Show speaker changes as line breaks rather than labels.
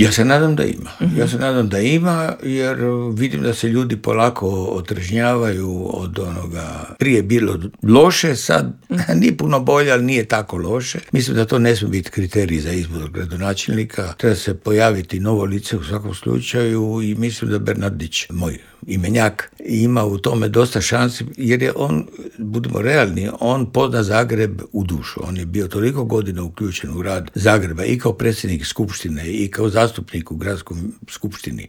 Ja se nadam da ima. Ja se nadam da ima, jer vidim da se ljudi polako otrežnjavaju od onoga. Prije je bilo loše, sad nije puno bolje, ali nije tako loše. Mislim da to ne smije biti kriterij za izbor gradonačelnika. Treba se pojaviti novo lice u svakom slučaju i mislim da Bernardić, moj imenjak, ima u tome dosta šansi, jer je on, budimo realni, on pozna Zagreb u dušu. On je bio toliko godina uključen u rad Zagreba i kao predsjednik skupštine i kao zastupnik u gradskoj skupštini